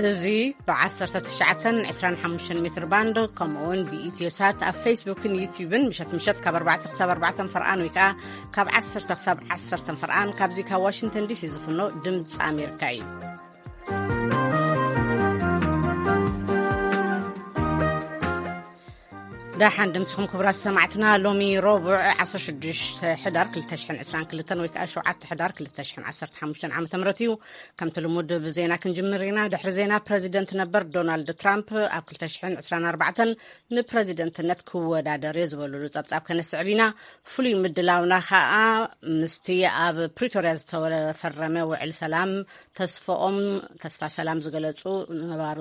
እዚ ብ19 25 ሜትር ባንድ፣ ከምኡውን ብኢትዮ ሳት ኣብ ፌስቡክን ዩቲዩብን ምሸት ምሸት ካብ ኣርባዕተ ክሳብ ኣርባዕተ ፈርቓን፣ ወይ ከኣ ካብ ዓሰርተ ክሳብ ዓሰርተ ፈርቓን፣ ካብዚ ካብ ዋሽንግተን ዲሲ ዝፍኖ ድምፂ ኣሜሪካ እዩ። ደሓን ድምፅኹም ክቡራት ሰማዕትና። ሎሚ ረቡዕ 16 ሕዳር 2022 ወይ ከዓ 7 ሕዳር 2015 ዓመተ ምህረት እዩ። ከምቲ ልሙድ ብዜና ክንጅምር ኢና። ድሕሪ ዜና፣ ፕረዚደንት ነበር ዶናልድ ትራምፕ ኣብ 2024 ንፕረዚደንትነት ክወዳደር እየ ዝበሉሉ ጸብጻብ ከነስዕብ ኢና። ፍሉይ ምድላውና ከዓ ምስቲ ኣብ ፕሪቶርያ ዝተፈረመ ውዕል ሰላም ተስፋኦም፣ ተስፋ ሰላም ዝገለጹ ነባሮ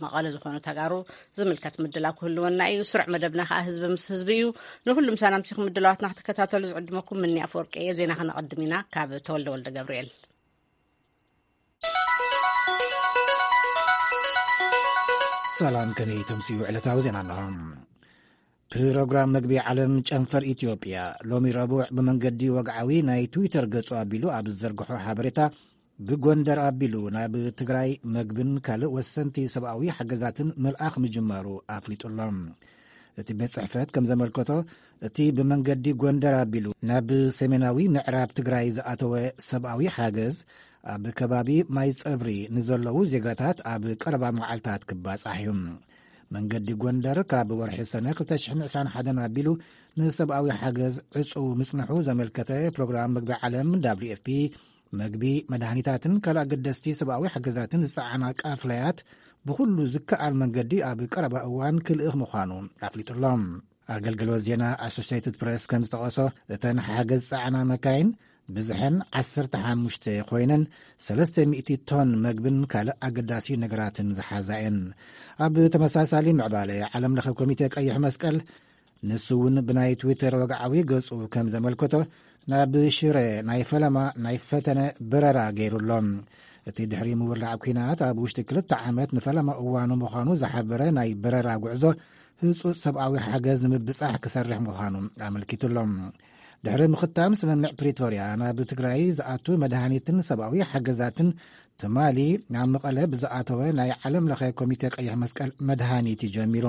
መቐለ ዝኾኑ ተጋሩ ዝምልከት ምድላው ክህልወና እዩ። ስሩዕ መደብና ከዓ ህዝቢ ምስ ህዝቢ እዩ። ንኹሉም ሰላምቲኹም ምድላዋትና ክትከታተሉ ዝዕድመኩም ምኒ ኣፈወርቂ እየ። ዜና ከነቐድም ኢና ካብ ተወልደ ወልደ ገብርኤል። ሰላም፣ ከመይ ተምስዩ ዕለታዊ ዜና ኣለኹም። ፕሮግራም መግቢ ዓለም ጨንፈር ኢትዮጵያ ሎሚ ረቡዕ ብመንገዲ ወግዓዊ ናይ ትዊተር ገጹ ኣቢሉ ኣብ ዝዘርግሖ ሓበሬታ፣ ብጎንደር ኣቢሉ ናብ ትግራይ መግብን ካልእ ወሰንቲ ሰብኣዊ ሓገዛትን ምልኣኽ ምጅማሩ ኣፍሊጡሎ። እቲ ቤት ጽሕፈት ከም ዘመልከቶ፣ እቲ ብመንገዲ ጎንደር ኣቢሉ ናብ ሰሜናዊ ምዕራብ ትግራይ ዝኣተወ ሰብኣዊ ሓገዝ፣ ኣብ ከባቢ ማይ ጸብሪ ንዘለዉ ዜጋታት ኣብ ቀረባ መዓልታት ክባጻሕ እዩ። መንገዲ ጎንደር ካብ ወርሒ ሰነ 2021 ኣቢሉ ንሰብኣዊ ሓገዝ ዕጹው ምጽንሑ ዘመልከተ ፕሮግራም መግቢ ዓለም፣ ደብሊው ኤፍ ፒ፣ መግቢ፣ መድሃኒታትን ካልእ ኣገደስቲ ሰብኣዊ ሓገዛትን ዝጸዓና ቃፍላያት ብኹሉ ዝከኣል መንገዲ ኣብ ቀረባ እዋን ክልእኽ ምዃኑ ኣፍሊጡሎ። ኣገልግሎት ዜና ኣሶሲየትድ ፕረስ ከም ዝጠቐሶ፣ እተን ሓገዝ ዝጸዓና መካይን ብዝሐን 15 ኮይነን፣ 300 ቶን መግብን ካልእ ኣገዳሲ ነገራትን ዝሓዛ እየን። ኣብ ተመሳሳሊ ምዕባለ፣ ዓለም ለኸ ኮሚቴ ቀይሕ መስቀል፣ ንሱ እውን ብናይ ትዊተር ወግዓዊ ገጹ ከም ዘመልከቶ፣ ናብ ሽረ ናይ ፈለማ ናይ ፈተነ በረራ ገይሩ ኣሎ። እቲ ድሕሪ ምውላዕ ኲናት ኣብ ውሽጢ ክልተ ዓመት ንፈለማ እዋኑ ምዃኑ ዝሓበረ ናይ በረራ ጉዕዞ፣ ህጹጽ ሰብኣዊ ሓገዝ ንምብጻሕ ክሰርሕ ምዃኑ ኣመልኪቱ ኣሎ። ድሕሪ ምኽታም ስምምዕ ፕሪቶርያ፣ ናብ ትግራይ ዝኣቱ መድሃኒትን ሰብኣዊ ሓገዛትን ትማሊ ናብ መቐለ ብዝኣተወ ናይ ዓለም ለኸ ኮሚቴ ቀይሕ መስቀል መድሃኒት እዩ ጀሚሩ።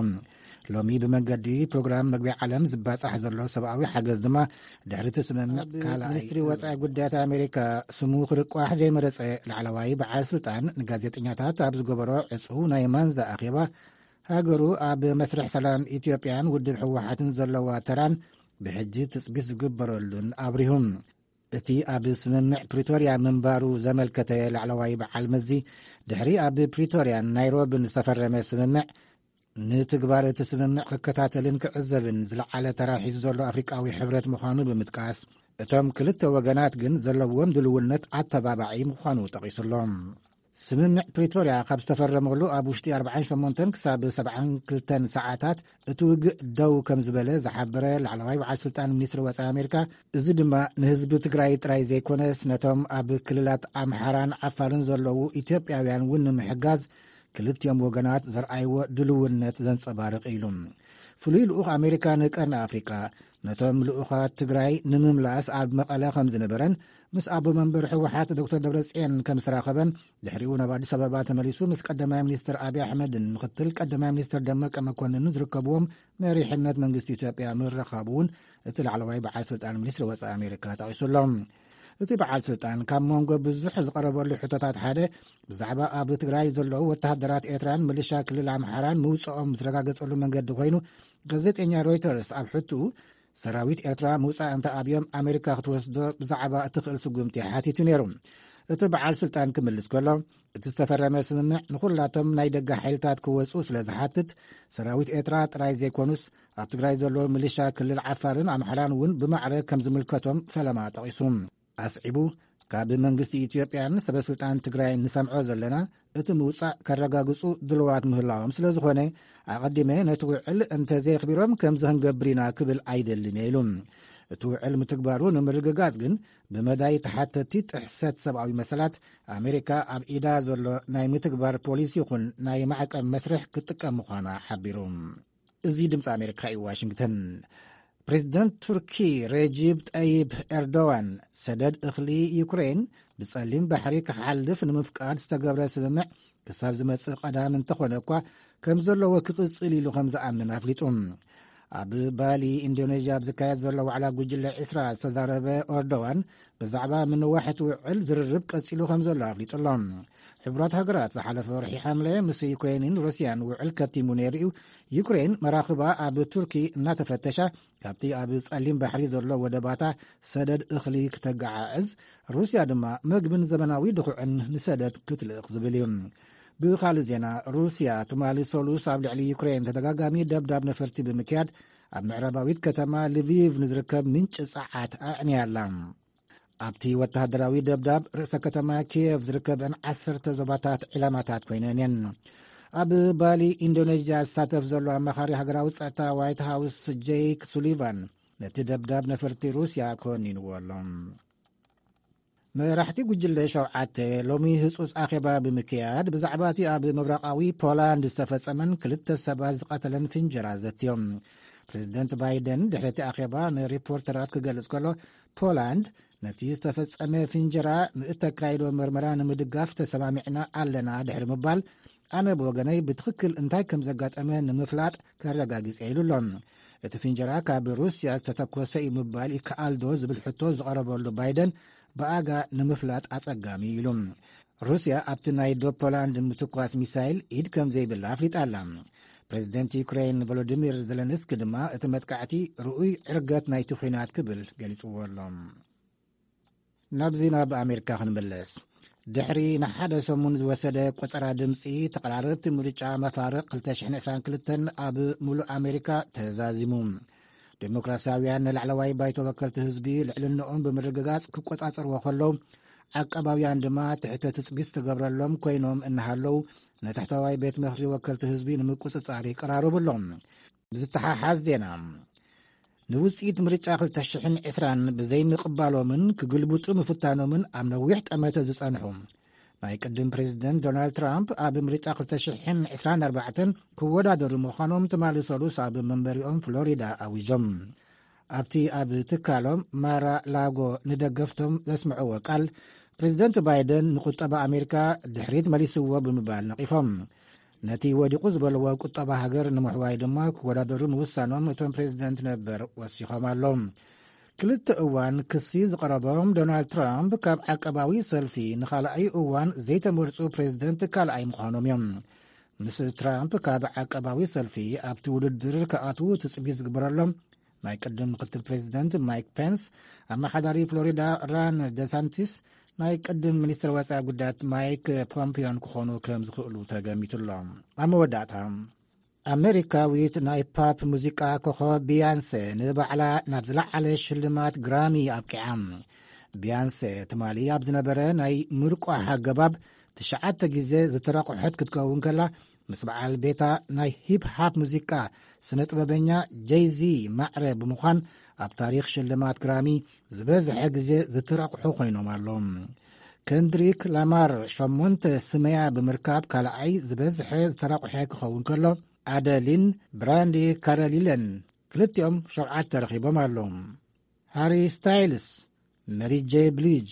ሎሚ ብመንገዲ ፕሮግራም መግቢ ዓለም ዝባጻሕ ዘሎ ሰብኣዊ ሓገዝ ድማ ድሕሪ እቲ ስምምዕ ኣብ ካልኣይ ሚኒስትሪ ወጻኢ ጉዳያት ኣሜሪካ ስሙ ክርቋሕ ዘይመረጸ ላዕለዋይ በዓል ስልጣን ንጋዜጠኛታት ኣብ ዝገበሮ ዕጹው ናይ ማንዛ ኣኼባ፣ ሃገሩ ኣብ መስርሕ ሰላም ኢትዮጵያን ውድብ ህወሓትን ዘለዋ ተራን ብሕጂ ትጽቢት ዝግበረሉን ኣብሪሁ። እቲ ኣብ ስምምዕ ፕሪቶርያ ምንባሩ ዘመልከተ ላዕለዋይ በዓል መዚ፣ ድሕሪ ኣብ ፕሪቶርያን ናይሮብን ዝተፈረመ ስምምዕ፣ ንትግባር እቲ ስምምዕ ክከታተልን ክዕዘብን ዝለዓለ ተራ ሒዙ ዘሎ ኣፍሪቃዊ ሕብረት ምዃኑ ብምጥቃስ፣ እቶም ክልተ ወገናት ግን ዘለዎም ድልውነት ኣተባባዒ ምዃኑ ጠቒሱሎም። ስምምዕ ፕሪቶርያ ካብ ዝተፈረመሉ ኣብ ውሽጢ ኣርባዓን ሸሞንተን ክሳብ ሰብዓን ክልተን ሰዓታት እቲ ውግእ ደው ከም ዝበለ ዝሓበረ ላዕለዋይ በዓል ስልጣን ሚኒስትሪ ወጻኢ ኣሜሪካ፣ እዚ ድማ ንህዝቢ ትግራይ ጥራይ ዘይኮነስ፣ ነቶም ኣብ ክልላት ኣምሓራን ዓፋርን ዘለዉ ኢትዮጵያውያን እውን ንምሕጋዝ ክልቲኦም ወገናት ዘርኣይዎ ድልውነት ዘንጸባርቕ ኢሉ። ፍሉይ ልኡኽ ኣሜሪካ ንቀርኒ ኣፍሪቃ፣ ነቶም ልኡኻት ትግራይ ንምምላስ ኣብ መቐለ ከም ዝነበረን፣ ምስ ኣቦ መንበር ህወሓት ዶክተር ደብረጽዮን ከም ዝተራኸበን፣ ድሕሪኡ ናብ ኣዲስ ኣበባ ተመሊሱ ምስ ቀዳማይ ሚኒስትር ኣብይ ኣሕመድን ምኽትል ቀዳማይ ሚኒስትር ደመቀ መኮንንን ዝርከብዎም መሪሕነት መንግስቲ ኢትዮጵያ ምርኻቡ እውን እቲ ላዕለዋይ በዓል ስልጣን ሚኒስትሪ ወጻኢ ኣሜሪካ ጠቒሱ ኣሎ። እቲ በዓል ስልጣን ካብ መንጎ ብዙሕ ዝቐረበሉ ሕቶታት ሓደ፣ ብዛዕባ ኣብ ትግራይ ዘለዉ ወተሃደራት ኤርትራን ምልሻ ክልል ኣምሓራን ምውጽኦም ዝተረጋገጸሉ መንገዲ ኮይኑ፣ ጋዜጠኛ ሮይተርስ ኣብ ሕትኡ፣ ሰራዊት ኤርትራ ምውጻእ እንተ ኣብዮም፣ ኣሜሪካ ክትወስዶ ብዛዕባ እትኽእል ስጉምቲ ሓቲቱ ነይሩ። እቲ በዓል ስልጣን ክምልስ ከሎ፣ እቲ ዝተፈረመ ስምምዕ ንኹላቶም ናይ ደገ ሓይልታት ክወጹ ስለ ዝሓትት፣ ሰራዊት ኤርትራ ጥራይ ዘይኮኑስ፣ ኣብ ትግራይ ዘለዉ ሚሊሻ ክልል ዓፋርን ኣምሓራን እውን ብማዕረ ከም ዝምልከቶም ፈለማ ጠቒሱ። ኣስዒቡ፣ ካብ መንግስቲ ኢትዮጵያን ሰበ ስልጣን ትግራይ ንሰምዖ ዘለና፣ እቲ ምውጻእ ከረጋግጹ ድልዋት ምህላዎም ስለ ዝኾነ፣ ኣቐዲመ ነቲ ውዕል እንተዘየኽቢሮም ከምዚ ክንገብር ኢና ክብል ኣይደልን እየ ኢሉ። እቲ ውዕል ምትግባሩ ንምርግጋጽ ግን፣ ብመዳይ ተሓተቲ ጥሕሰት ሰብኣዊ መሰላት፣ ኣሜሪካ ኣብ ኢዳ ዘሎ ናይ ምትግባር ፖሊሲ ይኹን ናይ ማዕቀብ መስርሕ ክትጥቀም ምዃና ሓቢሩ። እዚ ድምፂ ኣሜሪካ እዩ፣ ዋሽንግተን። ፕሬዚደንት ቱርኪ ረጂብ ጠይብ ኤርዶዋን፣ ሰደድ እኽሊ ዩክሬን ብጸሊም ባሕሪ ክሓልፍ ንምፍቃድ ዝተገብረ ስምምዕ ክሳብ ዝመጽእ ቀዳም እንተኾነ እኳ፣ ከም ዘለዎ ክቕጽል ኢሉ ከም ዝኣምን ኣፍሊጡ። ኣብ ባሊ ኢንዶኔዥያ ኣብ ዝካየድ ዘሎ ዋዕላ ጉጅለ ዕስራ ዝተዛረበ ኤርዶዋን፣ ብዛዕባ ምንዋሕ እቲ ውዕል ዝርርብ ቀጺሉ ከም ዘሎ ኣፍሊጡ ኣሎ። ሕቡራት ሃገራት ዝሓለፈ ወርሒ ሓምለ ምስ ዩክሬንን ሩስያን ውዕል ከቲሙ ነይሩ እዩ። ዩክሬን መራኽባ ኣብ ቱርኪ እናተፈተሻ፣ ካብቲ ኣብ ጸሊም ባሕሪ ዘሎ ወደባታ ሰደድ እኽሊ ክተገዓዕዝ፣ ሩስያ ድማ መግብን ዘመናዊ ድኹዕን ንሰደድ ክትልእኽ ዝብል እዩ። ብኻልእ ዜና፣ ሩስያ ትማሊ ሰሉስ ኣብ ልዕሊ ዩክሬን ተደጋጋሚ ደብዳብ ነፈርቲ ብምክያድ፣ ኣብ ምዕራባዊት ከተማ ልቪቭ ንዝርከብ ምንጪ ጸዓት ኣዕንያ ኣላ። ኣብቲ ወተሃደራዊ ደብዳብ፣ ርእሰ ከተማ ኪየቭ ዝርከበን ዓሰርተ ዞባታት ዕላማታት ኮይነን እየን። ኣብ ባሊ ኢንዶኔዥያ ዝሳተፍ ዘሎ ኣማኻሪ ሃገራዊ ጸጥታ ዋይት ሃውስ ጄክ ሱሊቫን፣ ነቲ ደብዳብ ነፈርቲ ሩስያ ኮኒንዎ ኣሎ። መራሕቲ ጉጅለ ሸውዓተ ሎሚ ህጹጽ ኣኼባ ብምክያድ፣ ብዛዕባ እቲ ኣብ ምብራቓዊ ፖላንድ ዝተፈጸመን ክልተ ሰባት ዝቐተለን ፍንጀራ ዘትዮም። ፕሬዚደንት ባይደን ድሕሪ እቲ ኣኼባ ንሪፖርተራት ክገልጽ ከሎ፣ ፖላንድ ነቲ ዝተፈጸመ ፍንጀራ ንእተካይዶ መርመራ ንምድጋፍ ተሰማሚዕና ኣለና ድሕሪ ምባል፣ ኣነ ብወገነይ ብትኽክል እንታይ ከም ዘጋጠመ ንምፍላጥ ከረጋግጽ ኢሉ ኣሎ። እቲ ፍንጀራ ካብ ሩስያ ዝተተኮሰ እዩ ምባል ይከኣል ዶ ዝብል ሕቶ ዝቐረበሉ ባይደን፣ ብኣጋ ንምፍላጥ ኣጸጋሚ እዩ ኢሉ። ሩስያ ኣብቲ ናይ ዶብ ፖላንድ ምትኳስ ሚሳይል ኢድ ከም ዘይብላ ኣፍሊጣ ኣላ። ፕሬዚደንት ዩክሬን ቮሎዲሚር ዘለንስኪ ድማ እቲ መጥቃዕቲ ርኡይ ዕርገት ናይቲ ኲናት ክብል ገሊጽዎ ኣሎ። ናብዚ ናብ ኣሜሪካ ክንምለስ። ድሕሪ ንሓደ ሰሙን ዝወሰደ ቆጸራ ድምጺ፣ ተቐራረብቲ ምርጫ መፋርቕ ክልተ ሽሕን ዕስራን ክልተን ኣብ ሙሉእ ኣሜሪካ ተዛዚሙ። ዴሞክራሲያውያን ንላዕለዋይ ባይቶ ወከልቲ ህዝቢ ልዕልንኦም ብምርግጋጽ ክቆጻጸርዎ ከለዉ፣ ዓቃባውያን ድማ ትሕተ ትጽቢት ዝተገብረሎም ኮይኖም እናሃለዉ፣ ንታሕተዋይ ቤት ምኽሪ ወከልቲ ህዝቢ ንምቁጽጻር ይቀራረቡ ኣለዉ። ብዝተሓሓዝ ዜና፣ ንውጽኢት ምርጫ ክልተ ሽሕን ዕስራን ብዘይምቕባሎምን ክግልብጡ ምፍታኖምን ኣብ ነዊሕ ጠመተ ዝጸንሑ ናይ ቅድም ፕሬዚደንት ዶናልድ ትራምፕ፣ ኣብ ምርጫ ክልተ ሽሕን ዕስራን ኣርባዕተን ክወዳደሩ ምዃኖም ትማሊ ሰሉስ ኣብ መንበሪኦም ፍሎሪዳ ኣዊጆም። ኣብቲ ኣብ ትካሎም ማራ ላጎ ንደገፍቶም ዘስምዕዎ ቃል፣ ፕሬዚደንት ባይደን ንቁጠባ ኣሜሪካ ድሕሪት መሊስዎ ብምባል ነቒፎም። ነቲ ወዲቑ ዝበልዎ ቁጠባ ሃገር ንምሕዋይ ድማ ክወዳደሩ ምውሳኖም እቶም ፕሬዚደንት ነበር ወሲኾም ኣለዉ። ክልተ እዋን ክሲ ዝቐረቦም ዶናልድ ትራምፕ፣ ካብ ዓቀባዊ ሰልፊ ንኻልኣይ እዋን ዘይተመርጹ ፕሬዚደንት ካልኣይ ምዃኖም እዮም። ምስ ትራምፕ ካብ ዓቀባዊ ሰልፊ ኣብቲ ውድድር ክኣትዉ ትጽቢት ዝግበረሎም ናይ ቅድም ምክትል ፕሬዚደንት ማይክ ፔንስ፣ ኣመሓዳሪ ፍሎሪዳ ራን ደሳንቲስ፣ ናይ ቅድም ሚኒስትር ወጻኢ ጉዳያት ማይክ ፖምፒዮን ክኾኑ ከም ዝኽእሉ ተገሚቱ ኣሎ። ኣብ መወዳእታ፣ ኣሜሪካዊት ናይ ፓፕ ሙዚቃ ኮኸብ ቢያንሰ ንባዕላ ናብ ዝለዓለ ሽልማት ግራሚ ኣብቂዓ። ቢያንሰ ትማሊ ኣብ ዝነበረ ናይ ምርቋሕ ኣገባብ ትሽዓተ ግዜ ዝተረቑሐት ክትከውን ከላ፣ ምስ በዓል ቤታ ናይ ሂፕ ሃፕ ሙዚቃ ስነ ጥበበኛ ጄይዚ ማዕረ ብምዃን፣ ኣብ ታሪኽ ሽልማት ግራሚ ዝበዝሐ ግዜ ዝተረቑሑ ኮይኖም ኣለዉ። ከንድሪክ ላማር ሸሞንተ ስመያ ብምርካብ ካልኣይ ዝበዝሐ ዝተረቑሐ ክኸውን ከሎ፣ ኣደሊን ብራንዲ ካረሊለን ክልቲኦም ሸውዓተ ረኺቦም ኣለዉ። ሃሪ ስታይልስ፣ መሪ ጄ ብሊጅ፣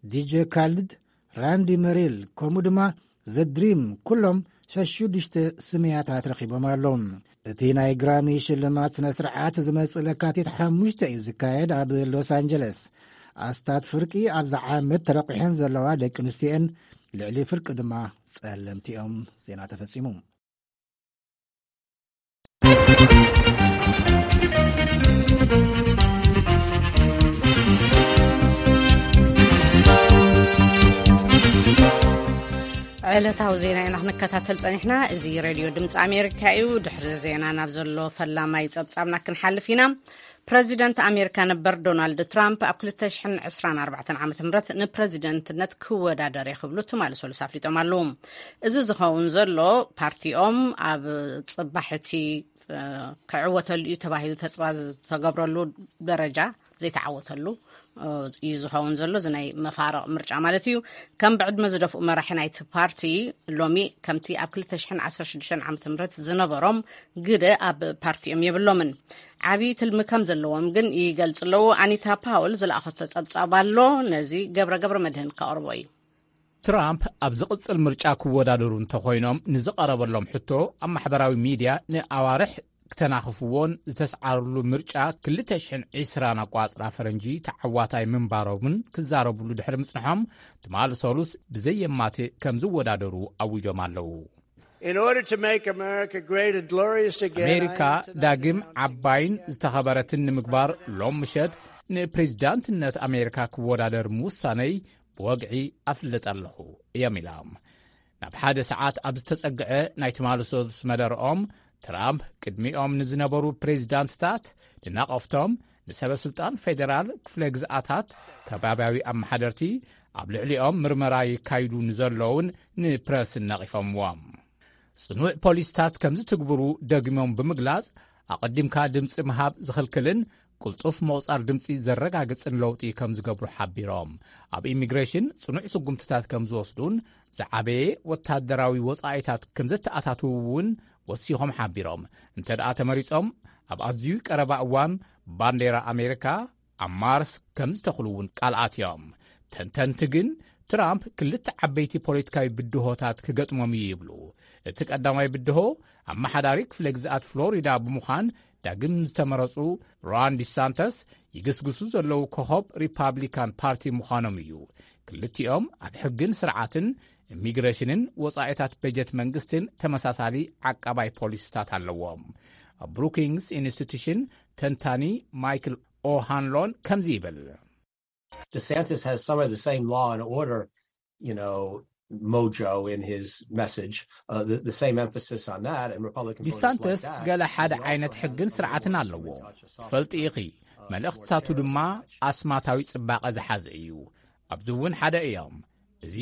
ዲጄ ካልድ፣ ራንዲ መሪል፣ ከምኡ ድማ ዘ ድሪም፣ ኩሎም ሸሽዱሽተ ስምያታት ረኺቦም ኣለዉ። እቲ ናይ ግራሚ ሽልማት ስነ ስርዓት ዝመጽእ ለካቲት ሓሙሽተ እዩ ዝካየድ ኣብ ሎስ ኣንጀለስ። ኣስታት ፍርቂ ኣብዛ ዓመት ተረቂሐን ዘለዋ ደቂ ኣንስትዮ'የን፣ ልዕሊ ፍርቂ ድማ ጸለምቲ እዮም። ዜና ተፈጺሙ። ዕለታዊ ዜና ኢና ክንከታተል ጸኒሕና። እዚ ሬድዮ ድምፂ ኣሜሪካ እዩ። ድሕሪ ዜና ናብ ዘሎ ፈላማይ ጸብጻብና ክንሓልፍ ኢና። ፕረዚደንት ኣሜሪካ ነበር ዶናልድ ትራምፕ ኣብ ክልተ ሽሕን ዕስራን ኣርባዕተን ዓመተ ምህረት ንፕረዚደንትነት ክወዳደር እየ ክብሉ ትማሊ ሰሉስ ኣፍሊጦም ኣለዉ። እዚ ዝኸውን ዘሎ ፓርቲኦም ኣብ ጽባሕ እቲ፣ እ፣ ክዕወተሉ እዩ ተባሂሉ ተስፋ ዝተገብረሉ ደረጃ ዘይተዓወተሉ እዩ ዝኸውን ዘሎ፣ እዚ ናይ መፋረቕ ምርጫ ማለት እዩ። ከም ብዕድመ ዝደፍኡ መራሒ ናይቲ ፓርቲ ሎሚ ከምቲ ኣብ ክልተ ሽሕን ዓሰርተ ሽዱሽተን ዓመተ ምህረት ዝነበሮም ግደ ኣብ ፓርቲኦም የብሎምን። ዓብዪ ትልሚ ከም ዘለዎም ግን ይገልጽ ኣለዉ። ኣኒታ ፓውል ዝለኣኸቶ ጸብጻብ ኣሎ፣ ነዚ ገብረ ገብረ መድህን ከቕርቦ እዩ። ትራምፕ ኣብ ዝቕጽል ምርጫ ክወዳደሩ እንተኾይኖም ንዝቐረበሎም ሕቶ ኣብ ማሕበራዊ ሚድያ ንኣዋርሕ ክተናኽፍዎን ዝተስዓርሉ ምርጫ ክልተ ሽሕን ዕስራን ኣቋጽራ ፈረንጂ ተዓዋታይ ምንባሮምን ክዛረብሉ ድሕሪ ምጽንሖም ትማል ሰሉስ ብዘየማትእ ከም ዝወዳደሩ ኣዊጆም ኣለዉ። In order to make America great and glorious again, I ኣሜሪካ have tonight ዳግም announced ዓባይን ዝተኸበረትን ንምግባር ሎም ምሸት ንፕሬዚዳንትነት ኣሜሪካ ክወዳደር ምውሳነይ ብወግዒ ኣፍልጥ ኣለኹ እዮም ኢሎም። ናብ ሓደ ሰዓት ኣብ ዝተጸግዐ ናይ ትማሊ ሰሉስ መደርኦም ትራምፕ ቅድሚኦም ንዝነበሩ ፕሬዚዳንትታት ንናቐፍቶም ንሰበ ስልጣን ፌዴራል ክፍለ ግዝኣታት ከባብያዊ ኣመሓደርቲ ኣብ ልዕሊኦም ምርመራ ይካይዱ ንዘለውን ንፕረስ ነቒፎምዎም። ጽኑዕ ፖሊስታት ከም ዝትግብሩ ደግሞም ብምግላጽ ኣቐዲምካ ድምጺ ምሃብ ዝኽልክልን ቅልጡፍ ምቑጻር ድምጺ ዘረጋግጽን ለውጢ ከም ዝገብሩ ሓቢሮም። ኣብ ኢሚግሬሽን ጽኑዕ ስጉምትታት ከም ዝወስዱን ዝዓበየ ወታደራዊ ወጻኢታት ከም ዘተኣታትዉ እውን ወሲኾም ሓቢሮም። እንተ ደኣ ተመሪጾም ኣብ ኣዝዩ ቀረባ እዋን ባንዴራ ኣሜሪካ ኣብ ማርስ ከም ዝተኽሉ እውን ቃል ኣትዮም። ተንተንቲ ግን ትራምፕ ክልተ ዓበይቲ ፖለቲካዊ ብድሆታት ክገጥሞም እዩ ይብሉ። እቲ ቀዳማይ ብድሆ ኣመሓዳሪ ክፍለ ግዝኣት ፍሎሪዳ ብምዃን ዳግም ዝተመረጹ ሮን ዲሳንተስ ይግስግሱ ዘለዉ ኮኸብ ሪፓብሊካን ፓርቲ ምዃኖም እዩ። ክልቲኦም ኣብ ሕግን ስርዓትን ኢሚግሬሽንን ወጻኢታት በጀት መንግስትን ተመሳሳሊ ዓቃባይ ፖሊሲታት ኣለዎም። ኣብ ብሩኪንግስ ኢንስቲቱሽን ተንታኒ ማይክል ኦሃንሎን ከምዚ ይብል። DeSantis has some of the same law and order, you know, mojo in his message, uh, the, the same emphasis on that, and Republican voters like ዲሳንተስ that. ገለ ሓደ ዓይነት ሕግን ስርዓትን ኣለዎ። ትፈልጢ ኢኺ፣ መልእኽትታቱ ድማ ኣስማታዊ ጽባቐ ዝሓዘ እዩ። ኣብዚ እውን ሓደ እዮም። እዚ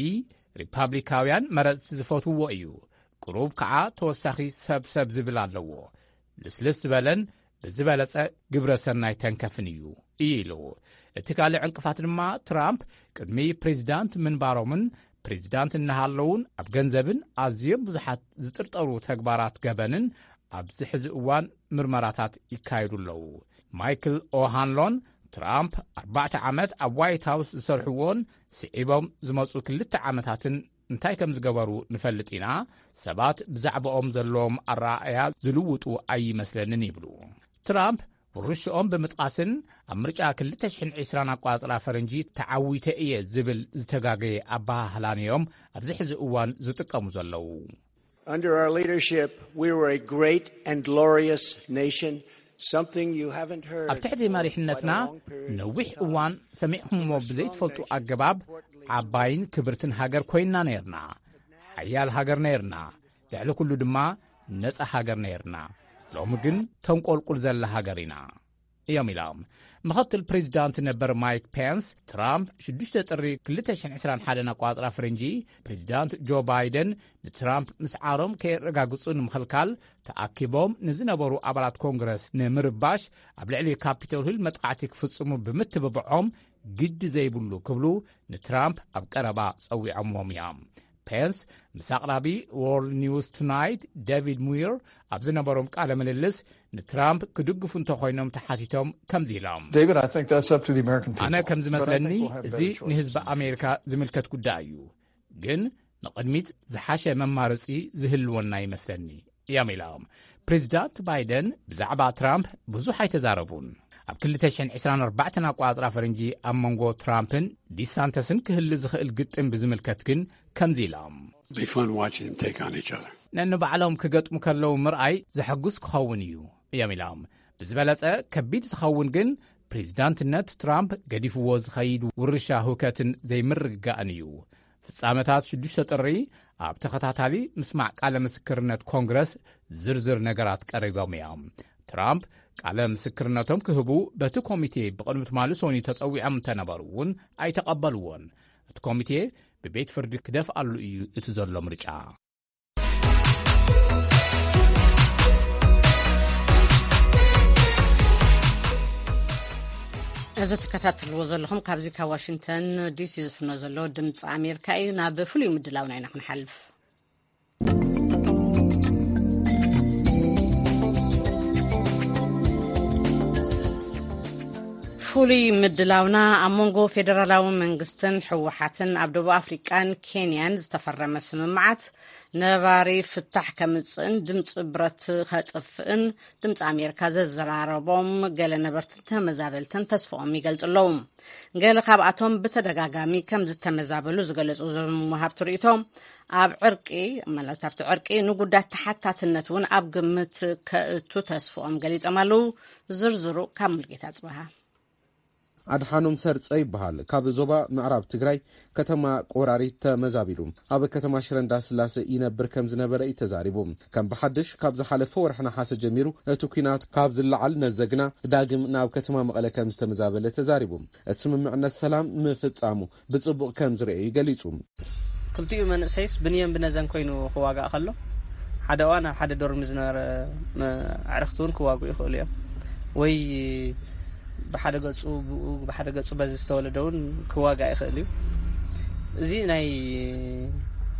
ሪፓብሊካውያን መረጽቲ ዝፈትውዎ እዩ። ቅሩብ ከዓ ተወሳኺ ሰብሰብ ዝብል ኣለዎ። ልስልስ ዝበለን ብዝበለጸ ግብረ ሰናይ ተንከፍን እዩ ኢሉ። እቲ ካልእ ዕንቅፋት ድማ ትራምፕ ቅድሚ ፕሬዚዳንት ምንባሮምን ፕሬዚዳንት እናሃለውን ኣብ ገንዘብን ኣዝዮም ብዙሓት ዝጥርጠሩ ተግባራት ገበንን ኣብዚ ሕዚ እዋን ምርመራታት ይካየዱ ኣለዉ። ማይክል ኦሃንሎን ትራምፕ ኣርባዕተ ዓመት ኣብ ዋይት ሃውስ ዝሰርሕዎን ስዒቦም ዝመፁ ክልተ ዓመታትን እንታይ ከም ዝገበሩ ንፈልጥ ኢና። ሰባት ብዛዕባኦም ዘለዎም ኣረኣእያ ዝልውጡ ኣይመስለንን ይብሉ። ትራምፕ ውርሽኦም ብምጥቃስን ኣብ ምርጫ ክልተ ሽሕን ዕስራን ኣቋጽራ ፈረንጂ ተዓዊተ እየ ዝብል ዝተጋገየ ኣበሃህላን እዮም ኣብዚ ሕዚ እዋን ዝጥቀሙ ዘለዉ። Under our leadership, we were a great and glorious nation, something you haven't heard ኣብ ትሕቲ መሪሕነትና ነዊሕ እዋን ሰሚዕኹምዎ ብዘይትፈልጡ ኣገባብ ዓባይን ክብርትን ሃገር ኮይንና ነይርና። ሓያል ሃገር ነይርና። ልዕሊ ኩሉ ድማ ነጻ ሃገር ነይርና። ሎሚ ግን ተንቆልቁል ዘላ ሃገር ኢና እዮም ኢሎም። ምኽትል ፕሬዚዳንት ነበር ማይክ ፔንስ ትራምፕ ሽዱሽተ ጥሪ ክልተ ሽሕን ዕስራን ሓደን ኣቋጽራ ፍርንጂ ፕሬዚዳንት ጆ ባይደን ንትራምፕ ምስዓሮም ከየረጋግጹ ንምኽልካል ተኣኪቦም ንዝነበሩ ኣባላት ኮንግረስ ንምርባሽ ኣብ ልዕሊ ካፒቶል ሂል መጥቃዕቲ ክፍጽሙ ብምትብብዖም ግዲ ዘይብሉ ክብሉ ንትራምፕ ኣብ ቀረባ ጸዊዖምዎም እዮም። ፔንስ ምስ ኣቕራቢ ዎርልድ ኒውስ ቱናይት ዴቪድ ሙይር ኣብ ዝነበሮም ቃለ ምልልስ ንትራምፕ ክድግፉ እንተኾይኖም ተሓቲቶም ከምዚ ኢሎም። David, I think that's up to the American people. ኣነ ከም ዝመስለኒ But I think we'll have እዚ better choices ንህዝቢ in the ኣሜሪካ ዝምልከት ጉዳይ እዩ፣ ግን ንቕድሚት ዝሓሸ መማረፂ ዝህልወና ይመስለኒ እዮም ኢሎም። ፕሬዚዳንት ባይደን ብዛዕባ ትራምፕ ብዙሕ ኣይተዛረቡን። ኣብ ክልተ ሽሕን ዕስራን ኣርባዕተን ኣቋፅራ ፈረንጂ ኣብ መንጎ ትራምፕን ዲሳንተስን ክህሊ ዝኽእል ግጥም ብዝምልከት ግን ከምዚ ኢሎም። Be fun watching them take on each other. ነንባዕሎም ክገጥሙ ከለዉ ምርኣይ ዘሐጉስ ክኸውን እዩ እዮም ኢሎም። ብዝበለጸ ከቢድ ዝኸውን ግን ፕሬዚዳንትነት ትራምፕ ገዲፍዎ ዝኸይድ ውርሻ ህውከትን ዘይምርግጋእን እዩ። ፍጻመታት ሽዱሽተ ጥሪ ኣብ ተኸታታሊ ምስማዕ ቃለ ምስክርነት ኮንግረስ ዝርዝር ነገራት ቀሪቦም እዮም። ትራምፕ ቃለ ምስክርነቶም ክህቡ በቲ ኮሚቴ ብቕድሚ ትማሊ ሶኒ ተጸዊዖም እንተነበሩ እውን ኣይተቐበልዎን። እቲ ኮሚቴ ብቤት ፍርዲ ክደፍኣሉ እዩ እቲ ዘሎ ምርጫ። እዚ ትከታተልዎ ዘለኹም ካብዚ ካብ ዋሽንግተን ዲሲ ዝፍኖ ዘሎ ድምፂ ኣሜሪካ እዩ። ናብ ፍሉይ ምድላውና ኢና ክንሓልፍ። ፍሉይ ምድላውና፣ ኣብ መንጎ ፌደራላዊ መንግስትን ህወሓትን ኣብ ደቡብ ኣፍሪቃን ኬንያን ዝተፈረመ ስምምዓት ነባሪ ፍታሕ ከምጽእን ድምፂ ብረት ከጥፍእን ድምፂ ኣሜሪካ ዘዘራረቦም ገለ ነበርትን ተመዛበልትን ተስፍኦም ይገልፁ ኣለዉ። ገለ ካብኣቶም ብተደጋጋሚ ከም ዝተመዛበሉ ዝገለፁ እዞም ወሃብቲ ርእይቶ፣ ኣብ ዕርቂ፣ ማለት ኣብቲ ዕርቂ ንጉዳት ተሓታትነት እውን ኣብ ግምት ከእቱ ተስፍኦም ገሊፆም ኣለዉ። ዝርዝሩ ካብ ሙልጌታ ጽበሃ። ኣድሓኖም ሰርጸ ይበሃል። ካብ ዞባ ምዕራብ ትግራይ ከተማ ቆራሪት ተመዛቢሉ ኣብ ከተማ ሽረ እንዳስላሰ ይነብር ከም ዝነበረ እዩ ተዛሪቡ። ከም ብሓድሽ ካብ ዝሓለፈ ወርሒ ነሓሰ ጀሚሩ እቲ ኲናት ካብ ዝለዓል ነዘግና ዳግም ናብ ከተማ መቐለ ከም ዝተመዛበለ ተዛሪቡ። እቲ ስምምዕነት ሰላም ምፍጻሙ ብጽቡቕ ከም ዝርእዩ ገሊጹ። ክልቲኡ መንእሰይስ ብንየን ብነዘን ኮይኑ ክዋጋእ ከሎ፣ ሓደ እዋን ኣብ ሓደ ዶርሚ ዝነበረ መ-፣ ኣዕርኽቲ እውን ክዋግኡ ይኽእሉ እዮም። ወይ ብሓደ ገጹ ብኡ፣ ብሓደ ገጹ በዚ ዝተወለደ እውን ክዋጋእ ይኽእል እዩ። እዚ ናይ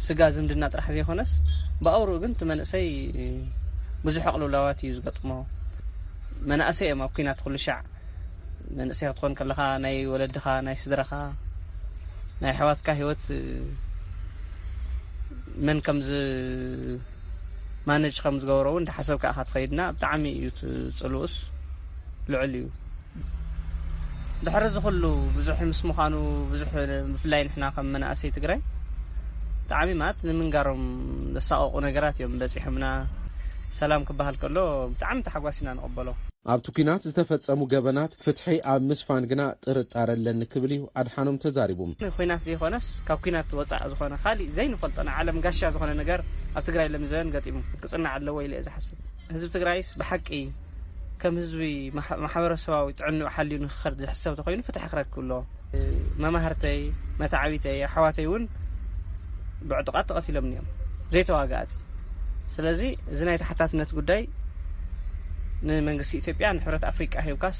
ስጋ ዝምድና ጥራሕ ዘይኮነስ፣ ብኣውርኡ ግን እቲ መንእሰይ ብዙሕ ኣቕልውላዋት እዩ ዝገጥሞ። መናእሰይ እዮም ኣብ ኲናት ኩሉ ሻዕ። መንእሰይ ክትኮን ከለኻ ናይ ወለድኻ፣ ናይ ስድራኻ፣ ናይ ኣሕዋትካ ህይወት መን ከም ዝ-፣ ማነጅ ከም ዝገበሮ እውን እንዳሓሰብካ ኢኻ ትኸይድና። ብጣዕሚ እዩ እቲ ጽልኡስ ልዑል እዩ። ድሕሪ እዚ ኩሉ ብዙሕ ምስ ምዃኑ፣ ብዙሕ ብፍላይ ንሕና ከም መናእሰይ ትግራይ ብጣዕሚ ማለት ንምንጋሮም ዘሳቐቑ ነገራት እዮም በጺሖምና። ሰላም ክበሃል ከሎ ብጣዕሚ ተሓጓሲና ንቕበሎ። ኣብቲ ኲናት ዝተፈጸሙ ገበናት ፍትሒ ኣብ ምስፋን ግና ጥርጣረ ኣለኒ ክብል እዩ ኣድሓኖም ተዛሪቡ። ኲናት ዘይኮነስ ካብ ኲናት ወጻእ ዝኾነ ካሊእ ዘይንፈልጦ ናይ ዓለም ጋሻ ዝኾነ ነገር ኣብ ትግራይ ለሚዘበን ገጢሙ ክጽናዕ ኣለዎ ኢለ እየ ዝሓስብ። ህዝቢ ትግራይስ ብሓቂ ከም ህዝቢ ማሕ-፣ ማሕበረሰባዊ ጥዕንኡ ሓልዩ ንክኸድ ዝሕሰብ ተኾይኑ ፍትሒ ክረክብ ኣለዎ። መማህርተይ፣ መታዕቢተይ፣ ኣሕዋተይ እውን ብዕጡቓት ተቐቲሎም እዮም፣ ዘይተዋጋእቲ። ስለዚ እዚ ናይ ተሓታትነት ጉዳይ ንመንግስቲ ኢትዮጵያ፣ ንሕብረት ኣፍሪቃ ሂብካስ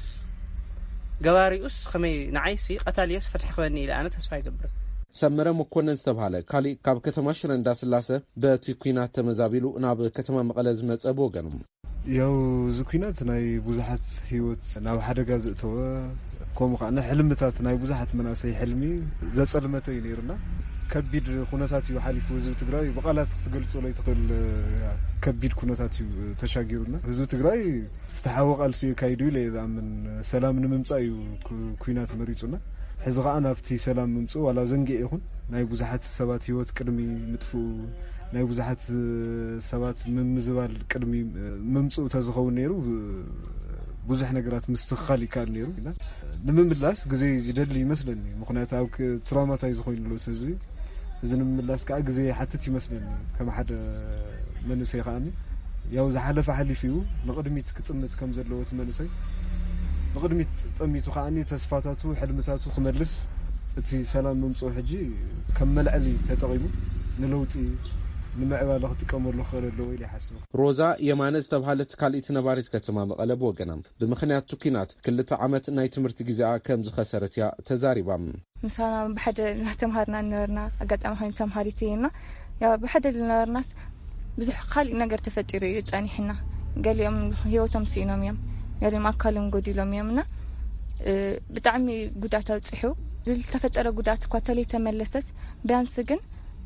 ገባሪኡስ ከመይ ንዓይሲ ቀታሊየስ ፍትሒ ክበኒ ኢለ ኣነ ተስፋ ይገብር። ሰመረ መኮነን ዝተባሃለ ካሊእ ካብ ከተማ ሽረ እንዳስላሰ በቲ ኲናት ተመዛቢሉ ናብ ከተማ መቐለ ዝመጸ ብወገኑ። ያው እዚ ኲናት ናይ ብዙሓት ህይወት ናብ ሓደጋ ዘእተወ፣ ከምኡ ከዓ ንሕልምታት ናይ ብዙሓት መናእሰይ ሕልሚ ዘጸልመተ እዩ ነይሩና። ከቢድ ኩነታት እዩ ሓሊፉ ህዝቢ ትግራይ፣ ብቓላት ክትገልጾ ዘይትኽእል ከቢድ ኩነታት እዩ ተሻጊሩና። ህዝቢ ትግራይ ፍትሓዊ ቃልሲ የካይዱ ኢለ እየ ዝኣምን። ሰላም ንምምጻእ እዩ ኩ-፣ ኲናት መሪጹና። ሕዚ ከዓ ናብቲ ሰላም ምምጽኡ ዋላ ዘንጊዕ ይኹን ናይ ብዙሓት ሰባት ህይወት ቅድሚ ምጥፍኡ፣ ናይ ብዙሓት ሰባት ምምዝባል ቅድሚ ምምጽኡ ተዝኸውን ነይሩ ብዙሕ ነገራት ምስትኽኻል ይከኣል ነይሩ። ንምምላስ ግዜ ዝደሊ ይመስለኒ። ምኽንያቱ ኣብ ክ-፣ ትራውማታይዝ ኮይኑ ኣሎ ህዝቢ። እዚ ንምምላስ ከዓ ግዜ ይሓትት ይመስለኒ። ከም ሓደ መንእሰይ ከዓኒ ያው ዝሓለፈ ሓሊፉ እዩ። ንቕድሚት ክጥምት ከም ዘለዎ እቲ መንእሰይ ንቕድሚት ጠሚቱ ከዓኒ ተስፋታቱ፣ ሕልምታቱ ክመልስ እቲ ሰላም ምምፅኡ ሕጂ ከም መልዐሊ ተጠቒሙ ንለውጢ፣ ንምዕባለ ክጥቀመሉ ክኽእል ኣለዎ ኢለ ይሓስብ። ሮዛ የማነ ዝተባሃለት ካልኢት ነባሪት ከተማ መቐለ ብወገና ብምኽንያት እቲ ኲናት ክልተ ዓመት ናይ ትምህርቲ ግዜኣ ከም ዝኸሰረት እያ ተዛሪባ። ምሳና ብሓደ እናተምሃርና ነበርና። ኣጋጣሚ ኮይኑ ተምሃሪት እየና። ያው ብሓደ ዝነበርናስ ብዙሕ ካልእ ነገር ተፈጢሩ እዩ ጸኒሕና። ገሊኦም ህይወቶም ስኢኖም እዮም፣ ገሊኦም ኣካሎም ጎዲሎም እዮም እና፣ እ፣ ብጣዕሚ ጉዳት ኣብጺሑ። ዝተፈጠረ ጉዳት እኳ ተለይተመለሰስ፣ ቢያንስ ግን፣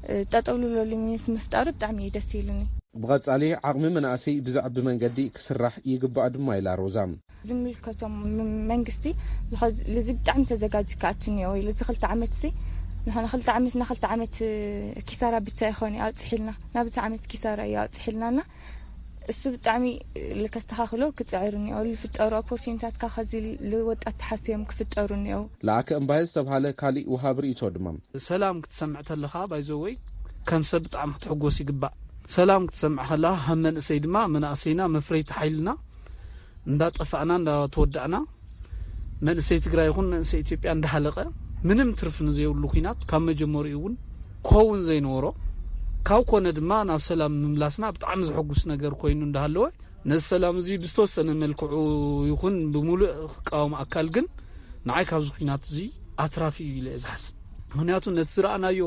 እ፣ ጠጠው ልብለሉ ሚንስ ምፍጣሩ ብጣዕሚ እዩ ደስ ኢሉኒ። ብቐጻሊ ዓቕሚ መናእሰይ ብዘዕቢ መንገዲ ክስራሕ ይግባእ ድማ ኢላ ሮዛ። ዝምልከቶም ም-፣ መንግስቲ ዝኸ-፣ ልዚ ብጣዕሚ ተዘጋጅ ክኣቱ እኒኦ ኢሉ። እዚ ክልተ ዓመት እዚ ንሕና ክልተ ዓመት እና ክልተ ዓመት ኪሳራ ብቻ ይኾን እዩ ኣውፅሒልና። ናብዚ ዓመት ኪሳራ እዩ ኣውፅሒልና እና እሱ ብጣዕሚ ልከስተኻኽሎ ክፅዕር እኒኦ። ልፍጠሩ ኦፖርቹኒታት ካብ ከዚ ልወጣት ተሓስዮም ክፍጠሩ እኒኦ። ለኣከ እምባየ ዝተብሃለ ካሊእ ወሃብ ርእይቶ ድማ። ሰላም ክትሰምዕ ተለኻ ባይዘወይ ከም ሰብ ብጣዕሚ ክትሕጎስ ይግባእ። ሰላም ክትሰምዕ ከለኻ ከም መንእሰይ ድማ መናእሰይና መፍረይቲ ሓይልና እንዳጠፋእና እንዳተወዳእና መንእሰይ ትግራይ ይኹን መንእሰይ ኢትዮጵያ እንዳሃለቀ ምንም ትርፊ ንዘይብሉ ኲናት ካብ መጀመሪኡ እውን ክኸውን ዘይነበሮ ካብ ኮነ ድማ ናብ ሰላም ምምላስና ብጣዕሚ ዘሐጉስ ነገር ኮይኑ እንዳሃለወ ነዚ ሰላም እዚ ብዝተወሰነ መልክዑ ይኹን ብምሉእ ክቃወም ኣካል ግን ንዓይ ካብዚ ኲናት እዚ ኣትራፊ እዩ ኢለ እየ ዝሓስብ። ምኽንያቱ ነቲ ዝረኣናዮ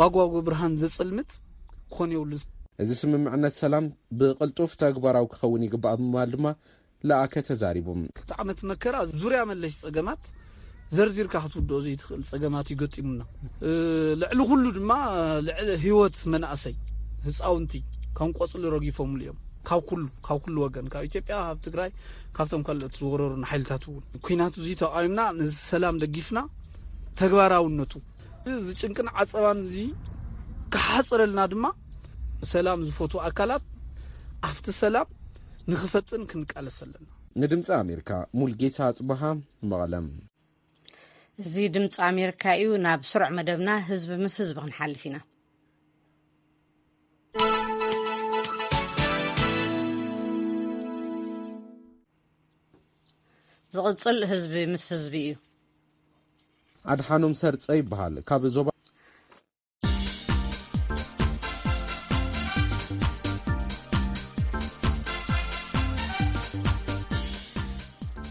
ዋግዋግ ብርሃን ዘጸልምት ክኾን የብሉን። እዚ ስምምዕነት ሰላም ብቕልጡፍ ተግባራዊ ክኸውን ይግባእ ብምባል ድማ ለኣከ ተዛሪቡ። ክልተ ዓመት መከራ ዙርያ መለሽ ጸገማት ዘርዚርካ ክትውድኦ ዘይትኽእል ጸገማት እዩ ገጢሙና። ልዕሊ ኩሉ ድማ ልዕሊ ህይወት መናእሰይ ህፃውንቲ ከም ቆፅሊ ረጊፎምሉ እዮም። ካብ ኩሉ ካብ ኩሉ ወገን ካብ ኢትዮጵያ ካብ ትግራይ ካብቶም ካልኦት ዝወረሩና ሓይልታት እውን ኲናት እዚ ተቃዊምና ነዚ ሰላም ደጊፍና ተግባራውነቱ እዚ ጭንቅን ዓፀባን እዚ ክሓፅረልና ድማ ሰላም ዝፈትዉ ኣካላት ኣብቲ ሰላም ንክፈጥን ክንቃለስ ኣለና። ንድምፂ ኣሜሪካ ሙልጌታ ኣፅበሃ፣ መቐለም። እዚ ድምፂ ኣሜሪካ እዩ። ናብ ስሩዕ መደብና ህዝቢ ምስ ህዝቢ ክንሓልፍ ኢና። ዝቕፅል ህዝቢ ምስ ህዝቢ እዩ። ኣድሓኖም ሰርፀ ይበሃል። ካብ ዞባ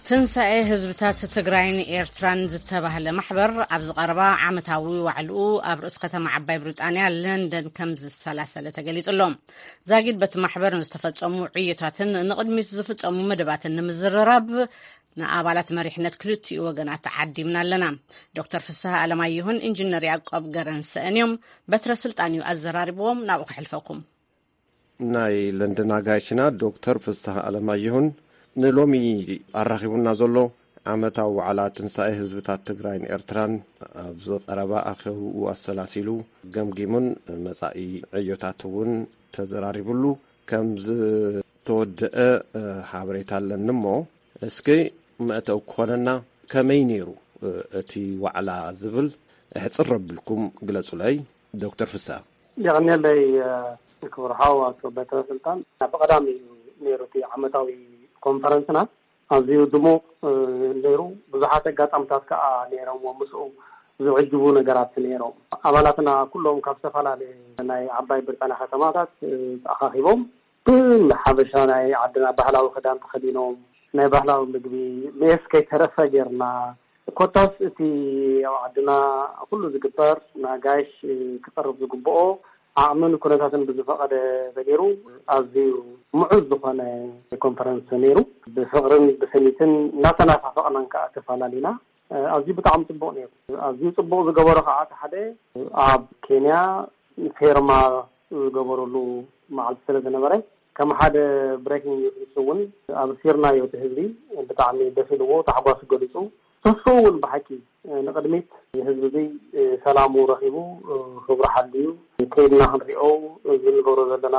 ትንሳኤ ህዝብታት ትግራይን ኤርትራን ዝተባህለ ማሕበር ኣብዚ ቀረባ ዓመታዊ ዋዕልኡ ኣብ ርእሲ ከተማ ዓባይ ብሪጣንያ ለንደን ከም ዝሰላሰለ ተገሊጹ ኣሎ። ዛጊድ በቲ ማሕበር ንዝተፈጸሙ ዕዮታትን ንቕድሚት ዝፍጸሙ መደባትን ንምዝርራብ ንኣባላት መሪሕነት ክልቲኡ ወገናት ተዓዲምና ኣለና። ዶክተር ፍስሃ ኣለማየሁን ኢንጂነር ያዕቆብ ገረንሰእን እዮም። በትረ ስልጣን እዩ ኣዘራሪብዎም። ናብኡ ከሕልፈኩም። ናይ ለንደን ኣጋይሽና ዶክተር ፍስሃ ኣለማየሁን ንሎሚ ኣራኺቡና ዘሎ ዓመታዊ ዋዕላ ትንሳኤ ህዝብታት ትግራይን ኤርትራን ኣብዚ ቀረባ ኣኼብኡ ኣሰላሲሉ ገምጊሙን መጻኢ ዕዮታት እውን ተዘራሪብሉ ከም ዝተወደአ ሓበሬታ ኣለኒ እሞ እስኪ መእተው ክኾነና ከመይ ነይሩ እቲ ዋዕላ ዝብል ሕፅር ረብልኩም ግለፁለይ ዶክተር ፍስሃ። የቐንየለይ ክቡር ሓው ኣቶ በትረ ስልጣን። ብቐዳሚ እዩ ነይሩ እቲ ዓመታዊ ኮንፈረንስና። ኣዝዩ ድሙቕ ነይሩ። ብዙሓት ኣጋጣምታት ከዓ ነይሮምዎ ምስኡ ዝዕጅቡ ነገራት ነይሮም። ኣባላትና ኩሎም ካብ ዝተፈላለየ ናይ ዓባይ ብሪጣንያ ከተማታት ተኣኻኺቦም ብሓበሻ ናይ ዓድና ባህላዊ ክዳን ተኸዲኖም ናይ ባህላዊ ምግቢ ሜስ ከይተረፈ ጌርና ኮታስ እቲ ኣብ ዓድና ኩሉ ዝግበር ንኣጋይሽ ክቐርብ ዝግብኦ ዓቕምን ኩነታትን ብዝፈቐደ ተገይሩ ኣዝዩ ምዑዝ ዝኾነ ኮንፈረንስ ነይሩ። ብፍቕርን ብስኒትን እናተናፋፈቕናን ከዓ ተፈላለዩና። ኣዝዩ ብጣዕሚ ፅቡቕ ነይሩ። ኣዝዩ ፅቡቕ ዝገበሮ ከዓ እቲ ሓደ ኣብ ኬንያ ፌርማ ዝገበረሉ መዓልቲ ስለ ዝነበረ ከም ሓደ ብሬኪንግ ኒውስ እውን ኣብሲርናዮ እቲ ህዝቢ ብጣዕሚ ደስ ኢልዎ ታሕጓሱ ገሊፁ። ተስፍኡ እውን ብሓቂ ንቕድሚት ህዝቢ እዚ ሰላሙ ረኺቡ ክብሩ ሓልዩ ከይድና ክንሪኦ እዚ ንገብሮ ዘለና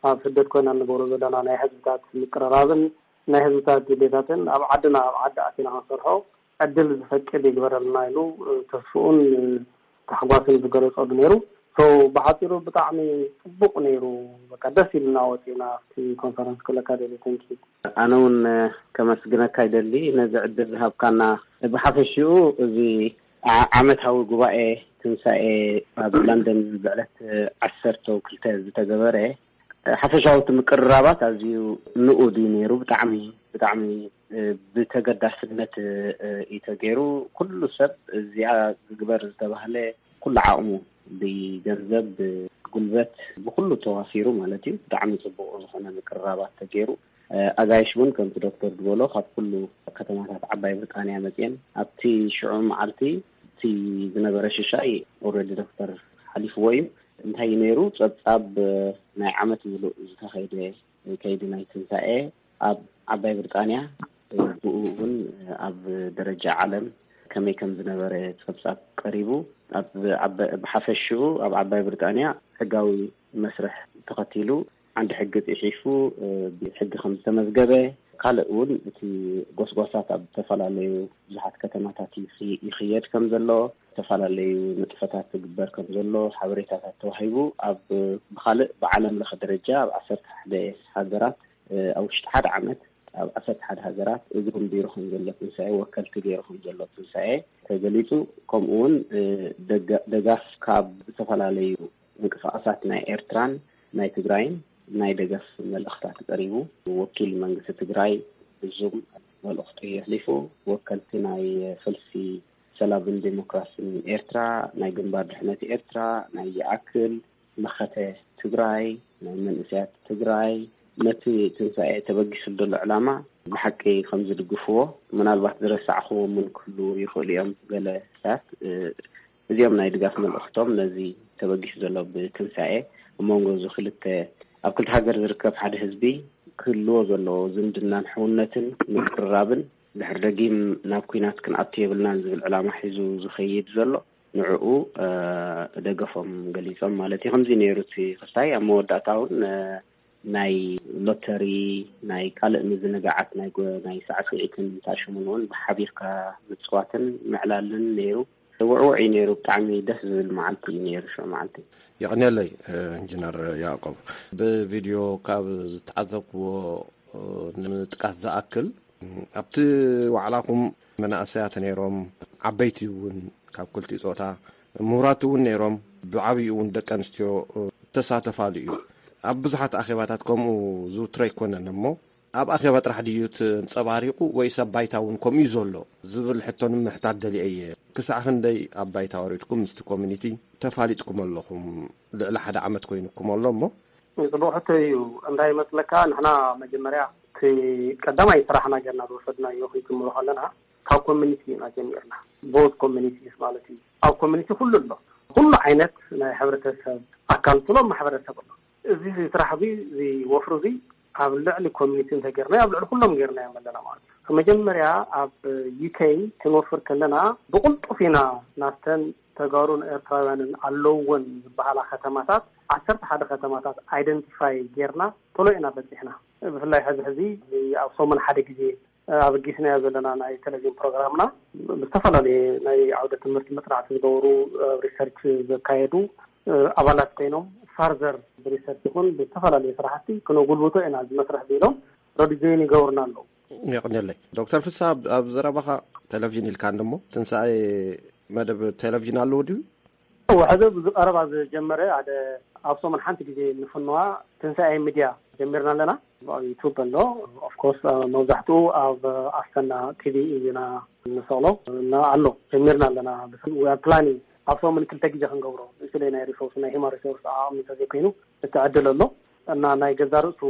ኣብ ስደት ኮይና ንገብሮ ዘለና ናይ ህዝብታት ምቅርራብን ናይ ህዝብታት ድሌታትን ኣብ ዓድና ኣብ ዓዲ ኣቲና ክንሰርሖ ዕድል ዝፈቅድ ይግበረልና ኢሉ ተስፍኡን ታሕጓስን ዝገለፀሉ ነይሩ። ብሓፂሩ ብጣዕሚ ፅቡቅ ነይሩ። በቃ ደስ ኢልና ወፂና ኣብቲ ኮንፈረንስ ክብለካ ደሊ። ተንኪ ኣነ እውን ከመስግነካ ይደሊ ነዚ ዕድል ዝሃብካና። ብሓፈሽኡ እዚ ዓመታዊ ጉባኤ ትንሳኤ ኣብ ለንደን ብዕለት ዓሰርተ ክልተ ዝተገበረ ሓፈሻዊ እቲ ምቅርራባት ኣዝዩ ንኡድ እዩ ነይሩ። ብጣዕሚ ብጣዕሚ ብተገዳስነት እዩ ተገይሩ። ኩሉ ሰብ እዚኣ ዝግበር ዝተባህለ ኩሉ ዓቕሙ ብገንዘብ ብጉልበት ብኩሉ ተዋፊሩ ማለት እዩ። ብጣዕሚ ፅቡቅ ዝኾነ ምቅርራባት ተገይሩ። ኣጋይሽ እውን ከምቲ ዶክተር ዝበሎ ካብ ኩሉ ከተማታት ዓባይ ብሪጣንያ መፅየን ኣብቲ ሽዑ መዓልቲ እቲ ዝነበረ ሽሻይ ኦልሬዲ ዶክተር ሓሊፍዎ እዩ። እንታይ እዩ ነይሩ? ፀብፃብ ናይ ዓመት ምሉእ ዝተኸይደ ከይዲ ናይ ትንሳኤ ኣብ ዓባይ ብሪጣንያ ብኡ እውን ኣብ ደረጃ ዓለም ከመይ ከም ዝነበረ ፀብፃብ ቀሪቡ ኣብ ብሓፈሽኡ ኣብ ዓባይ ብሪጣንያ ሕጋዊ መስርሕ ተኸቲሉ ዓንዲ ሕጊ ፅሒፉ ብሕጊ ከም ዝተመዝገበ ካልእ እውን እቲ ጎስጓሳት ኣብ ዝተፈላለዩ ብዙሓት ከተማታት ይኽየድ ከም ዘሎ ዝተፈላለዩ ንጥፈታት ትግበር ከም ዘሎ ሓበሬታታት ተዋሂቡ ኣብ ብካልእ ብዓለም ለኸ ደረጃ ኣብ ዓሰርተ ሓደ ሃገራት ኣብ ውሽጢ ሓደ ዓመት ኣብ ዓሰርተ ሓደ ሃገራት እግሩን ቢሮ ከም ዘሎ ትንሳኤ ወከልቲ ገይሩ ከም ዘሎ ትንሳኤ ተገሊፁ። ከምኡ እውን ደጋፍ ካብ ዝተፈላለዩ ምንቅስቃሳት ናይ ኤርትራን ናይ ትግራይን ናይ ደገፍ መልእኽታት ቀሪቡ። ወኪል መንግስቲ ትግራይ ብዙም መልእኽቱ የሕሊፉ። ወከልቲ ናይ ሰልፊ ሰላምን ዴሞክራሲን ኤርትራ፣ ናይ ግንባር ድሕነት ኤርትራ፣ ናይ ይኣክል፣ መኸተ ትግራይ፣ ናይ መንእሰያት ትግራይ፣ ነቲ ትንሳኤ ተበጊሱ ዘሎ ዕላማ ብሓቂ ከም ዝድግፍዎ፣ ምናልባት ዝረሳዕኽዎም እውን ክህልዉ ይኽእሉ እዮም። ገለ ሰባት፣ እ፣ እዚኦም ናይ ድጋፍ መልእኽቶም ነዚ ተበጊሱ ዘሎ ብትንሳኤ ኣብ መንጎ እዚ ክልተ፣ ኣብ ክልተ ሃገር ዝርከብ ሓደ ህዝቢ ክህልዎ ዘለዎ ዝምድናን ሕውነትን ምቅርራብን ድሕሪ ደጊም ናብ ኲናት ክንኣቱ የብልናን ዝብል ዕላማ ሒዙ ዝኸይድ ዘሎ ንዕኡ፣ እ፣ ደገፎም ገሊጾም ማለት እዩ። ከምዚ ነይሩ እቲ ክስታይ። ኣብ መወዳእታ እውን፣ እ፣ ናይ ሎተሪ፣ ናይ ካልእ ምዝንጋዓት፣ ናይ ጎ-፣ ናይ ሳዕስዒትን ታሽሙን እውን ብሓቢርካ ምጽዋትን ምዕላልን ነይሩ። ውዕውዕ እዩ ነይሩ። ብጣዕሚ ደስ ዝብል መዓልቲ እዩ ነይሩ፣ ሽዑ መዓልቲ። የቕንየለይ፣ እ፣ ኢንጂነር ያዕቆብ። ብቪድዮ ካብ ዝተዓዘብክዎ፣ እ፣ ንምጥቃስ ዝኣክል፣ ኣብቲ ዋዕላኹም መናእሰያት ነይሮም፣ ዓበይቲ እውን ካብ ክልቲኡ ጾታ፣ ምሁራት እውን ነይሮም፣ ብዓብይኡ እውን ደቂ ኣንስትዮ፣ እ፣ ዝተሳተፋሉ እዩ። ኣብ ብዙሓት ኣኼባታት ከምኡ ዝውትር ኣይኮነን እሞ፣ ኣብ ኣኼባ ጥራሕ ድዩ ተንጸባሪቑ ወይስ ኣብ ባይታ እውን ከምኡ እዩ ዘሎ ዝብል ሕቶ ንምሕታት ደልየ እየ። ክሳዕ ክንደይ ኣብ ባይታ ወሪድኩም ምስቲ ኮሚኒቲ ተፋሊጥኩም ኣለኹም? ልዕሊ ሓደ ዓመት ኮይኑኩም ኣሎ እሞ። ጽቡቕ ሕቶ እዩ። እንታይ ይመስለካ፣ ንሕና መጀመርያ እቲ ቀዳማይ ስራሕና ጌርና ዝወሰድናዮ ክንጅምሮ ከለና ካብ ኮሚኒቲ ኢና ጀሚርና። ቦዝ ኮሚኒቲስ ማለት እዩ። ኣብ ኮሚኒቲ ኩሉ ኣሎ። ኩሉ ዓይነት ናይ ሕብረተሰብ ኣካል፣ ኩሎም ማሕበረሰብ ኣሎ። እዚ ስራሕ እዚ፣ እዚ ወፍሪ እዚ ኣብ ልዕሊ ኮሚኒቲ እንተጌርናዮ፣ ኣብ ልዕሊ ኩሎም ጌርናዮም ኣለና ማለት እዩ። መጀመርያ ኣብ ዩ ኬ ክንወፍር ከለና ብቕልጡፍ ኢና ናብተን ተጋሩን ኤርትራውያንን ኣለውወን ዝበሃላ ከተማታት፣ ዓሰርተ ሓደ ከተማታት ኣይደንቲፋይ ጌርና ቶሎ ኢና በጺሕና። ብፍላይ ሕዚ ሕዚ ኣብ ሰሙን ሓደ ግዜ ኣበጊስናዮ ዘለና ናይ ቴሌቪዥን ፕሮግራምና፣ ብዝተፈላለየ ናይ ዓውደ ትምህርቲ መጽናዕቲ ዝገብሩ፣ ኣብ ሪሰርች ዘካየዱ፣ እ፣ ኣባላት ኮይኖም ፋርዘር ብሪሰርች ይኹን ብዝተፈላለየ ስራሕቲ ክነጉልብቶ ኢና እዚ መስርሕ ኢሎም ረዲ ጆይን ይገብሩና ኣለዉ። የቕንየለይ። ዶክተር ፍስሃ፣ ኣብ፣ ኣብ ዘረባኻ ቴሌቪዥን ኢልካ እንሞ፣ ትንሳኤ መደብ ቴሌቪዥን ኣለዎ ድዩ? እወ፣ ሕዚ ኣብዚ ቀረባ ዝጀመረ ሓደ ኣብ ሰሙን ሓንቲ ግዜ ንፍንዋ ትንሳኤ ሚድያ ጀሚርና ኣለና። ኣብ ዩቱብ ኣሎ። ኦፍኮርስ፣ መብዛሕትኡ ኣብ ኣሰና ቲ ቪ ኢና ንሰቕሎ እና ኣሎ። ጀሚርና ኣለና። We are planning ኣብ ሰሙን ክልተ ግዜ ክንገብሮ፣ ንስለ ናይ ሪሶርስ፣ ናይ ሂማን ሪሶርስ ዓቕሚ እንተዘይኮይኑ፣ እቲ ዕድል ኣሎ እና ናይ ገዛ ርእሱ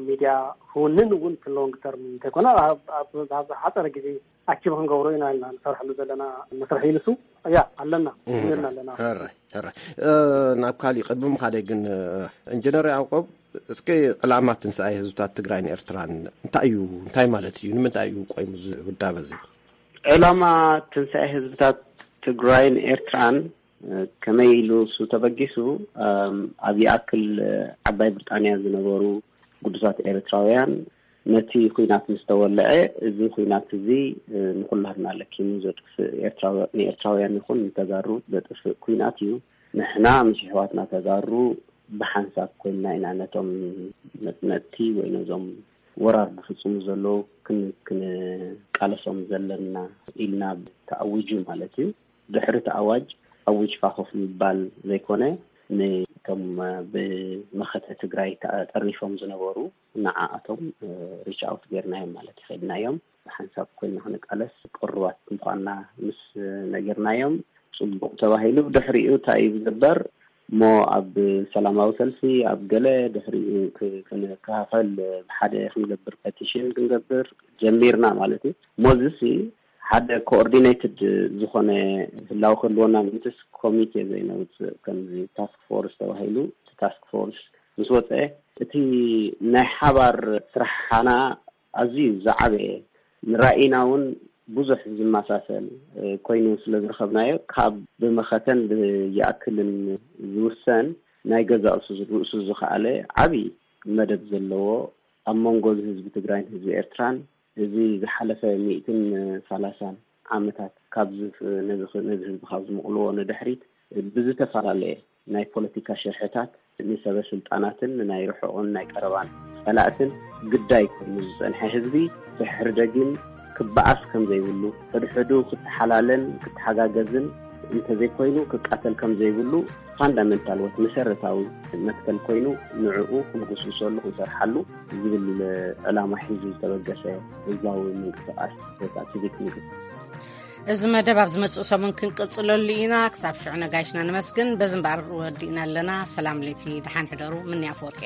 ሚድያ ክውንን እውን እቲ ሎንግ ተርም እንተይኮነ፣ ኣብ፣ ኣብ፣ ኣብ ሓፀረ ግዜ ኣቺቭ ክንገብሮ ኢና ኢልና ንሰርሐሉ ዘለና መስርሕ እዩ ንሱ። ያ፣ ኣለና፣ ጀሚርና ኣለና። ሕራይ፣ ሕራይ። እ፣ ናብ ካሊእ ቅድሚ ምኻደይ ግን፣ እ፣ ኢንጂነር ያዕቆብ፣ እስኪ ዕላማ ትንሳኤ ህዝብታት ትግራይን ኤርትራን እንታይ እዩ? እንታይ ማለት እዩ? ንምንታይ እዩ ቆይሙ እዚ ውዳበ እዚ? ዕላማ ትንሳኤ ህዝብታት ትግራይን ኤርትራን፣ እ፣ ከመይ ኢሉ እሱ ተበጊሱ፣ እም፣ ኣብ ይኣክል፣ እ፣ ዓባይ ብሪጣንያ ዝነበሩ ግዱሳት ኤርትራውያን፣ ነቲ ኹናት ምስ ተወልዐ፣ እዚ ኹናት እዚ፣ እ፣ ንኹላትና ለኪሙ ዘጥፍእ ኤርትራዊ-፣ ንኤርትራውያን ይኹን ንተጋሩ ዘጥፍእ ኹናት እዩ። ንሕና ምስ ኣሕዋትና ተጋሩ ብሓንሳብ ኮይንና ኢና ነቶም መጽነጥቲ ወይ ነዞም ወራር ዝፍጽሙ ዘለዉ ክን-፣ ክንቃለሶም ዘለና ኢልና ተኣዊጁ ማለት እዩ። ድሕሪ እቲ ኣዋጅ፣ ኣዊጅካ ኮፍ ምባል ዘይኮነ፣ ንቶም ብመኸተ ትግራይ ተጠርኒፎም ዝነበሩ፣ ንዓኣቶም ሪች ኣውት ጌርናዮም ማለት ይኸድናዮም። ሓንሳብ ኮይንና ክንቃለስ ቅሩባት ምዃንና ምስ ነገርናዮም፣ ጽቡቕ ተባሂሉ። ድሕሪኡ እንታይ እዩ ዝግበር? እሞ ኣብ ሰላማዊ ሰልፊ፣ ኣብ ገለ ድሕሪኡ ክ-፣ ክንከፋፈል፣ ብሓደ ክንገብር፣ ፐቲሽን ክንገብር ጀሚርና ማለት እዩ። እሞ እዚሲ ሓደ ኮኦርዲኔትድ ዝኾነ ህላው ክህልወና ምእንትስ ኮሚቴ ዘይነውጽእ፣ ከምዚ ታስክ ፎርስ ተባሂሉ፣ እቲ ታስክ ፎርስ ምስ ወጸ፣ እቲ ናይ ሓባር ስራሕና ኣዝዩ ዝዓበየ፣ ንራእይና እውን ብዙሕ ዝመሳሰል፣ እ፣ ኮይኑ ስለ ዝረኸብናዮ፣ ካብ ብመኸተን ብይኣክልን ዝውሰን፣ ናይ ገዛእ ርእሱ፣ ርእሱ ዝኸኣለ ዓቢ መደብ ዘለዎ፣ ኣብ መንጎ ህዝቢ ትግራይን ህዝቢ ኤርትራን፣ እዚ ዝሓለፈ ሚእትን ሰላሳን ዓመታት ካብ ዝፍ-፣ ነዚ ኽ-፣ ነዚ ህዝቢ ካብ ዝምቕልዎ ንድሕሪት፣ ብዝተፈላለየ ናይ ፖለቲካ ሽርሕታት ንሰበ ስልጣናትን ንናይ ርሑቕን ናይ ቀረባን ጸላእትን ግዳይ ኮይኑ ዝጸንሐ ህዝቢ፣ ድሕሪ ደጊም ክበኣስ ከም ዘይብሉ፣ ሕድሕዱ ክተሓላለን ክተሓጋገዝን እንተዘይኮይኑ ክቃተል ከም ዘይብሉ ፋንዳመንታል ወት መሰረታዊ መትከል ኮይኑ ንዕኡ ክንጉስጉሰሉ ክንሰርሓሉ ዝብል ዕላማ ሒዙ ዝተበገሰ ህዝባዊ ምንቅስቃስ ወይ ከዓ ሲቪክ ምንቅስቃስ። እዚ መደብ ኣብ ዝመጽእ ሰሙን ክንቅጽለሉ ኢና። ክሳብ ሽዑ ነጋይሽና ንመስግን። በዚ እምበኣር ወዲእና ኣለና። ሰላም ለይቲ፣ ደሓን ሕደሩ። ምንያ ኣፈወርቂ።